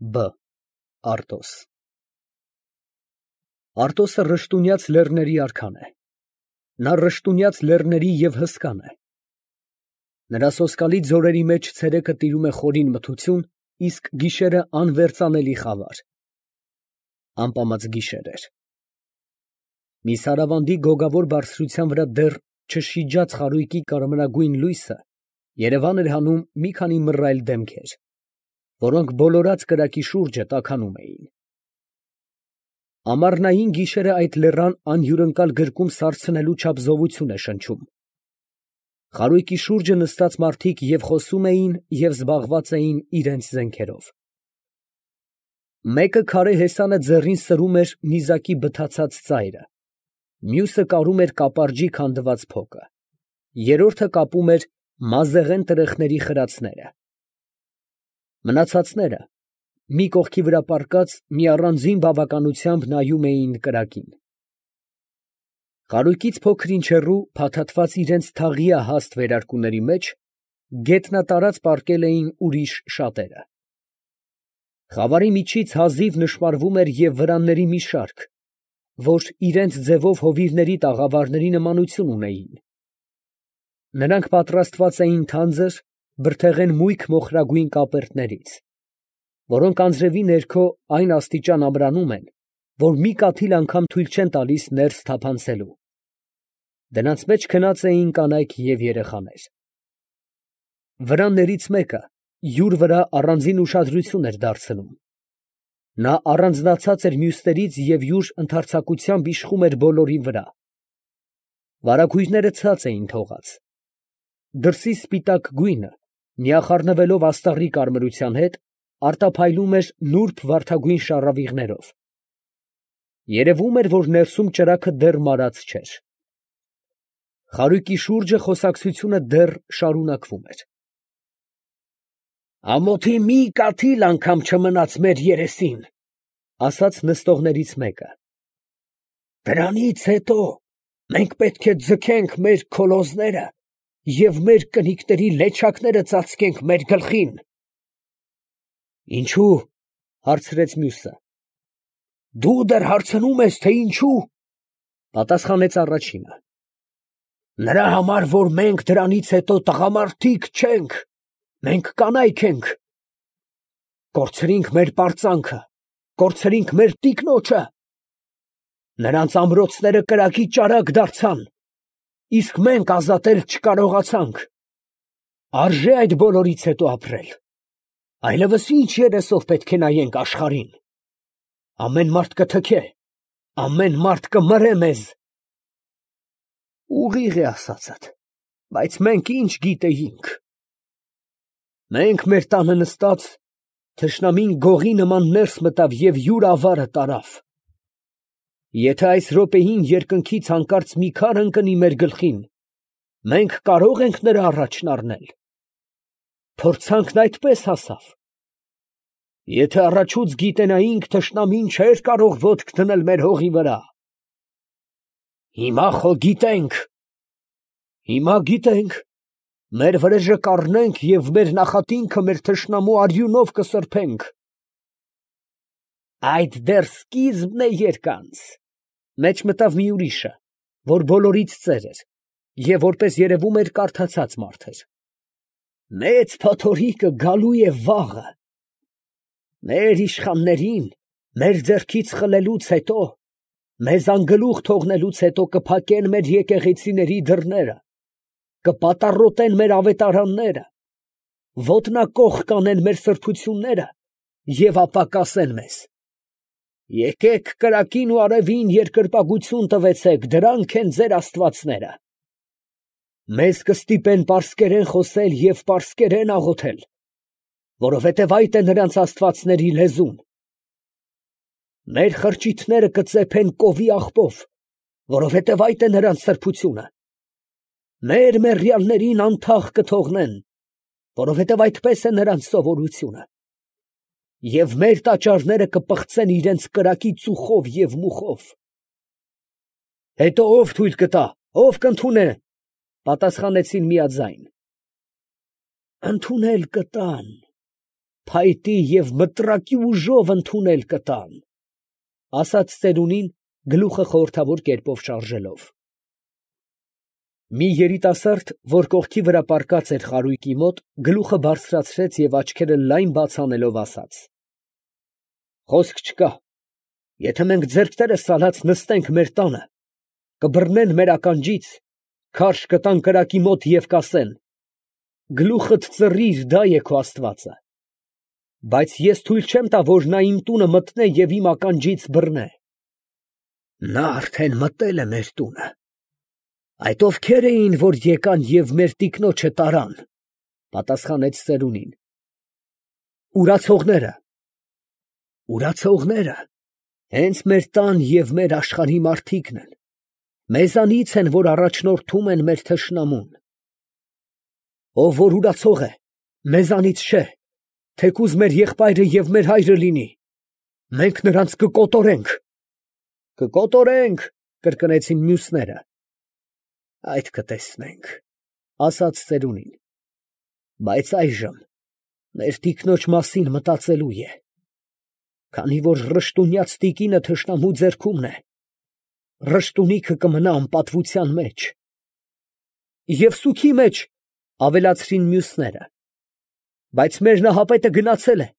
Բ. Արտոս Արտոսը ռշտունյաց լեռների արքան է։ Նա ռշտունյաց լեռների և հսկան է։ Նրա սոսկալի ձորերի մեջ ցերեկը տիրում է խորին մթություն, իսկ գիշերը անվերծանելի խավար։ Ամպամած գիշեր էր։ Մի սարավանդի գոգավոր բարձրության վրա դեռ չշիջաց խարույկի կարմրագույն լույսը երևան էր հանում մի քանի մռայլ դեմքեր, որոնք բոլորած կրակի շուրջը տաքանում էին։ Ամառնային գիշերը այդ լեռան անհյուրընկալ գրկում սառցնելու չափ զովություն է շնչում։ Խարույկի շուրջը նստած մարդիկ և խոսում էին, և զբաղված էին իրենց զենքերով։ Մեկը քարե հեսանը ձեռին սրում էր նիզակի բթացած ծայրը, մյուսը կարում էր կապարջի քանդված փոկը, երրորդը կապում էր մազեղեն տրեխների խրացները։ Մնացածները, մի կողքի վրա պառկած, մի առանձին բավականությամբ նայում էին կրակին։ Խարույկից փոքր-ինչ հեռու, փաթաթված իրենց թաղիահաստ վերարկուների մեջ, գետնատարած պառկել էին ուրիշ շատերը։ Խավարի միջից հազիվ նշմարվում էր և վրանների մի շարք, որ իրենց ձևով հովիվների տաղավարների նմանություն ունեին։ Նրանք պատրաստված էին թանձր, բրդեղեն մույք մոխրագույն կապերտներից, որոնք անձրևի ներքո այն աստիճան ամրանում են, որ մի կաթիլ անգամ թույլ չեն տալիս ներս թափանցելու։ Դրանց մեջ քնած էին կանայք և երեխաներ։ Վրաններից մեկը յուր վրա առանձին ուշադրություն էր դարձնում։ Նա առանձնացած էր մյուսներից և յուր ընդարձակությամբ իշխում էր բոլորի վրա։ Վարագույրները ցած էին թողած։ Դրսի սպիտակ գույնը, միախառնվելով աստաղի կարմրության հետ, արտափայլում էր նուրբ վարդագույն շառավիղներով։ Երևում էր, որ ներսում ճրագը դեռ մարած չէր։ Խարույկի շուրջը խոսակցությունը դեռ շարունակվում էր։ «Ամոթի մի կաթիլ անգամ չմնաց մեր երեսին, ֊ ասաց նստողներից մեկը, ֊ դրանից հետո մենք պետք է ձգենք մեր քոլոզները և մեր կնիկների լեչակները ծածկենք մեր գլխին։ ֊ Ինչո՞ւ, ֊ հարցրեց մյուսը։ ֊ Դու դեռ հարցնում ես, թե ինչո՞ւ, ֊ պատասխանեց առաջինը։ ֊ Նրա համար, որ մենք դրանից հետո տղամարդիկ չենք, մենք կանայք ենք. կորցրինք մեր պարծանքը, կորցրինք մեր տիկնոջը. նրանց ամրոցները կրակի ճարակ դարձան, իսկ մենք ազատել չկարողացանք. արժե այդ բոլորից հետո ապրել, այլևս ինչ երեսով պետք է նայենք աշխարհին. ամեն մարդ կթքե, ամեն մարդ կմրե մեզ։ Ուղիղ է ասածդ, բայց մենք ինչ գիտեինք։ Մենք մեր տանը նստած, թշնամին գողի նման ներս մտավ և յուր ավարը տարավ։ Եթե այս րոպեին երկնքից հանկարծ մի քար ընկնի մեր գլխին, մենք կարո՞ղ ենք նրա առաջն առնել։ Փորձանքն այդպես հասավ։ Եթե առաջուց գիտենայինք, թշնամին չէր կարող ոտք դնել մեր հողի վրա։ Հիմա խո գիտենք, մեր վրեժը կառնենք և մեր նախատինքը մեր թշնամու արյունով կսրբենք։ Այդ դեռ սկիզբն է երկանց, ֊ մեջ մտավ մի ուրիշը, որ բոլորից ծեր էր և, որպես երևում էր, կարդացած մարդ էր։ Մեծ փոթորիկը գալու է վաղը։ Մեր իշխաններին մեր ձեռքից խլելուց հետո, մեզ անգլուխ թողնելուց հետո կփակեն մեր եկեղեցիների դռները, կպատառոտեն մեր ավետարանները, ոտնակոխ կանեն մեր սրբությունները և ապա կասեն մեզ. եկեք կրակին ու արևին երկրպագություն տվեցեք, դրանք են ձեր աստվածները։ Մեզ կստիպեն պարսկերեն խոսել և պարսկերեն աղոթել, որովհետև այդ է նրանց աստվածների լեզուն։ Մեր խրճիթները կծեփեն կովի աղբով, որովհետև այդ է նրանց սրբությունը։ Մեր մեռյալներին անթաղ կթողնեն, որովհետև այդպես է նրանց սովորությունը։ Եվ մեր տաճարները կպղծեն իրենց կրակի ծուխով և մուխով։ Հետո ո՞վ թույլ կտա, ո՞վ կընդունե, ֊ պատասխանեցին միաձայն։ Ընդունել կտան, փայտի և մտրակի ուժով ընդունել կտան, ասաց ծերունին, գլուխը խորհրդավոր կերպով շարժելով։ Մի երիտասարդ, որ կողքի վրա պառկած էր խարույկի մոտ, գլուխը բարձրացրեց և աչքերը լայն բաց անելով ասաց. «Խոսք չկա, եթե մենք ձեռքներս ցալած նստենք մեր տանը, կբռնեն մեր ականջից, քարշ կտան կրակի մոտ և կասեն. գլուխդ ծռիր, դա է քո աստվածը։ Բայց ես թույլ չեմ տա, որ նա իմ տունը մտնե և իմ ականջից բռնե»։ Նա արդեն մտել է մեր տունը։ Այդ ովքե՞ր էին, որ եկան և մեր տիկնոջը տարան, պատասխանեց ծերունին։ Ուրացողները։ Ուրացողները հենց մեր տան և մեր աշխարհի մարդիկն են, մեզանից են, որ առաջնորդում են մեր թշնամուն։ Ով որ ուրացող է, մեզանից չէ, թեկուզ մեր եղբայրը և մեր հայրը լինի, մենք նրանց կկոտորենք։ Կկոտորենք, կրկնեցին մյուսները։ Այդ կտեսնենք, ասաց ծերունին։ Բայց այժմ մեր տիկնոջ մասին մտածելու է, քանի որ ռշտունյաց տիկինը թշնամու ձեռքումն է, ռշտունիքը կմնա անպատվության մեջ։ Եվ սուգի մեջ, ավելացրին մյուսները։ Բայց մեր նահապետը գնացել է,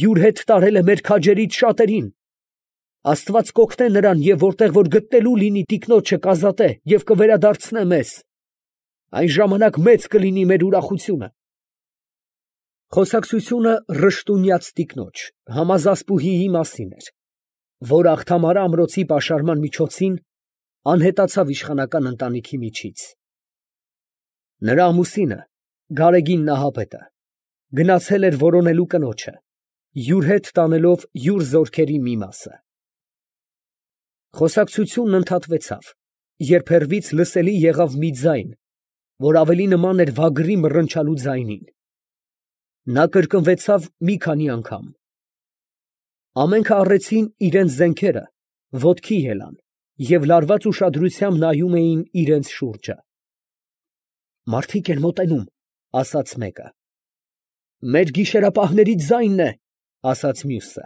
յուր հետ տարել է մեր քաջերից շատերին։ Աստված կօգնե նրան, և որտեղ որ գտնելու լինի տիկնոջը կազատե և կվերադարձնե մեզ. այն ժամանակ մեծ կլինի մեր ուրախությունը։ Խոսակցությունը ռշտունյաց տիկնոջ, Համազասպուհիի մասին էր, որ Աղթամարը ամրոցի պաշարման միջոցին անհետացավ իշխանական ընտանիքի միջից։ Նրա ամուսինը, Գարեգին Նահապետը, գնացել էր որոնելու կնոջը, յուր հետ տանելով յուր զորքերի մի մասը։ Խոսակցությունն ընդհատվեցավ, երբ հեռվից լսելի եղավ մի ձայն, որ ավելի նման էր վագրի մռնչալու ձայնին։ Նա կրկնվեցավ մի քանի անգամ։ Ամենքը առեցին իրենց զենքերը, ոտքի ելան և լարված ուշադրությամբ նայում էին իրենց շուրջը։ Մարդիկ են մոտենում, ասաց մեկը։ Մեր գիշերապահների ձայնն է, ասաց մյուսը։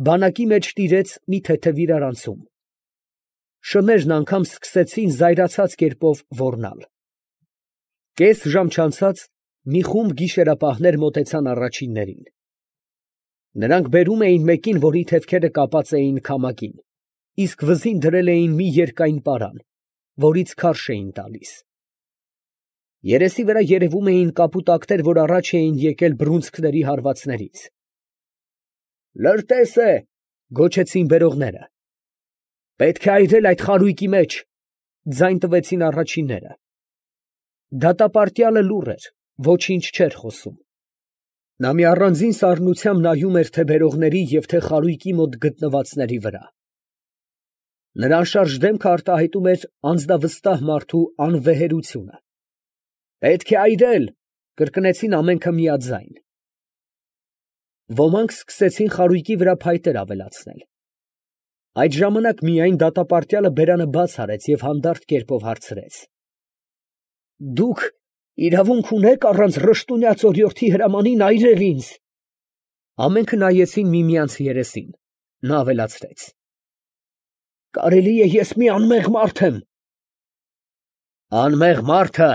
Բանակի մեջ տիրեց մի թեթև իրարանցում։ Շներն անգամ սկսեցին զայրացած կերպով ոռնալ։ Կես ժամ չանցած մի խումբ գիշերապահներ մոտեցան առաջիններին։ Նրանք բերում էին մեկին, որի թևքերը կապած էին քամակին, իսկ վզին դրել էին մի երկայն պարան, որից քարշ էին տալիս։ Երեսի վրա երևում էին կապուտակներ, որ առաջ էին եկել բռունցքների հարվածներից։ Լրտես է, գոչեցին բերողները։ Պետք է այրել այդ խարույկի մեջ, ձայն տվեցին առաջինները։ Դատապարտյալը լուռ էր, ոչինչ չէր խոսում։ Նա մի առանձին սառնությամբ նայում էր թե բերողների և թե խարույկի մոտ գտնվածների վրա։ Նրա անշարժ դեմքը արտահայտում էր անձնավստահ մարդու անվեհերությունը։ Պետք է այրել, կրկնեցին ամենքը միաձայն։ Ոմանք սկսեցին խարույկի վրա փայտեր ավելացնել։ Այդ ժամանակ միայն դատապարտյալը բերանը բաց արեց և հանդարտ կերպով հարցրեց. Դուք իրավունք ունեք առանց ռշտունյաց օրիորդի հրամանին այրել ինձ։ Ամենքը նայեցին միմյանց երեսին։ Նա ավելացրեց. Կարելի է ես մի անմեղ մարդ եմ։ Անմեղ մարդը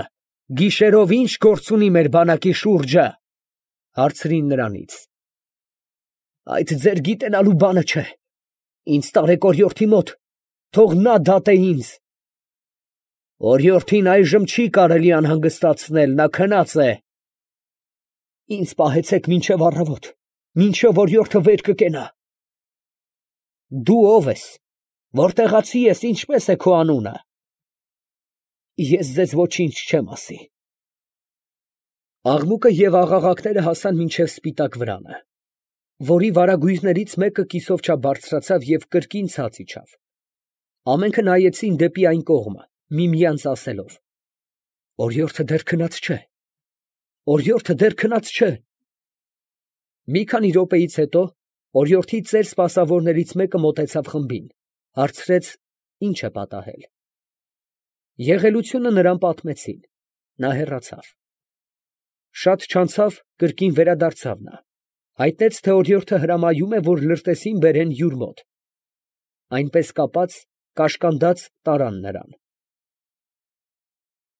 գիշերով ինչ գործ ունի մեր բանակի շուրջը, հարցրին նրանից։ Այդ ձեր գիտենալու բանը չէ։ Ինձ տարեք օրիորդի մոտ, թող նա դատե ինձ։ Օրիորդին այժմ չի կարելի անհանգստացնել, նա քնած է։ Ինձ պահեցեք մինչև առավոտ, մինչև օրիորդը վեր կկենա։ Դու ով ես, որտեղացի ես, ինչպես է քո անունը։ Ես ձեզ ոչինչ չեմ ասի։ Աղմուկը և աղաղակները հասան մինչև սպիտակ վրանը, որի վարագույրներից մեկը կիսով չափ բարձրացավ և կրկին ցած իջավ։ Ամենքը նայեցին դեպի այն կողմը, միմյանց ասելով. Օրիորդը դեռ քնած չէ։ Օրիորդը դեռ քնած չէ։ Մի քանի րոպեից հետո օրիորդի ծեր սպասավորներից մեկը մոտեցավ խմբին, հարցրեց. ինչ է պատահել։ Եղելությունը նրան պատմեցին։ Նա հեռացավ։ Շատ չանցավ, կրկին վերադարձավ նա, հայտնեց, թե օրիորդը հրամայում է, որ լրտեսին բերեն յուր մոտ. այնպես կապած, կաշկանդած տարան նրան։